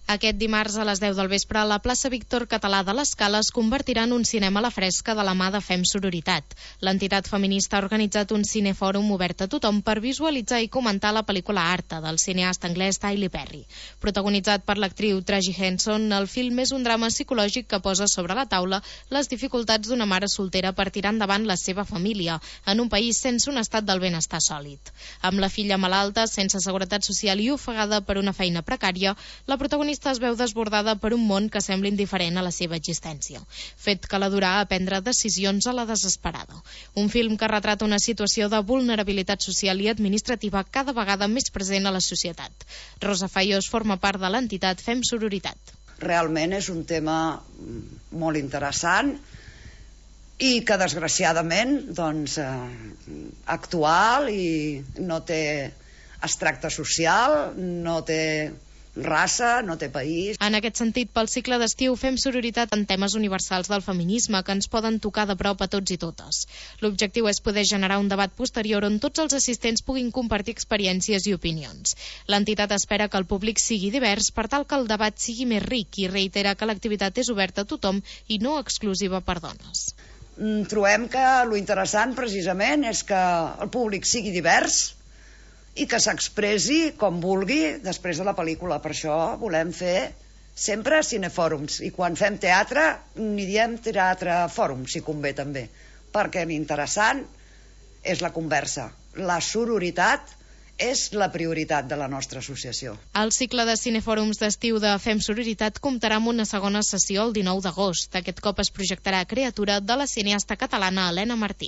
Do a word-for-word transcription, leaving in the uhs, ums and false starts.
Aquest dimarts a les deu del vespre, la plaça Víctor Català de l'Escala es convertirà en un cinema a la fresca de la mà de Fem Sororitat. L'entitat feminista ha organitzat un cinefòrum obert a tothom per visualitzar i comentar la pel·lícula Arta, del cineasta anglès Tyler Perry. Protagonitzat per l'actriu Tracy Henson, el film és un drama psicològic que posa sobre la taula les dificultats d'una mare soltera per tirar endavant la seva família, en un país sense un estat del benestar sòlid. Amb la filla malalta, sense seguretat social i ofegada per una feina precària, la protagonista es veu desbordada per un món que sembla indiferent a la seva existència, fet que la durà a prendre decisions a la desesperada. Un film que retrata una situació de vulnerabilitat social i administrativa cada vegada més present a la societat. Rosa Faiós forma part de l'entitat Fem Sororitat. Realment és un tema molt interessant i que desgraciadament doncs, eh, actual i no té extracte social, no té raça, no té país. En aquest sentit, pel cicle d'estiu fem sororitat en temes universals del feminisme que ens poden tocar de prop a tots i totes. L'objectiu és poder generar un debat posterior on tots els assistents puguin compartir experiències i opinions. L'entitat espera que el públic sigui divers per tal que el debat sigui més ric i reitera que l'activitat és oberta a tothom i no exclusiva per dones. Trobem que lo interessant precisament és que el públic sigui divers i que s'expressi com vulgui després de la pel·lícula. Per això volem fer sempre cinefòrums. I quan fem teatre, n'hi diem teatre fòrum, si convé també. Perquè l'interessant és la conversa. La sororitat és la prioritat de la nostra associació. El cicle de cinefòrums d'estiu de Fem Sororitat comptarà amb una segona sessió el dinou d'agost. Aquest cop es projectarà Creatura de la cineasta catalana Helena Martí.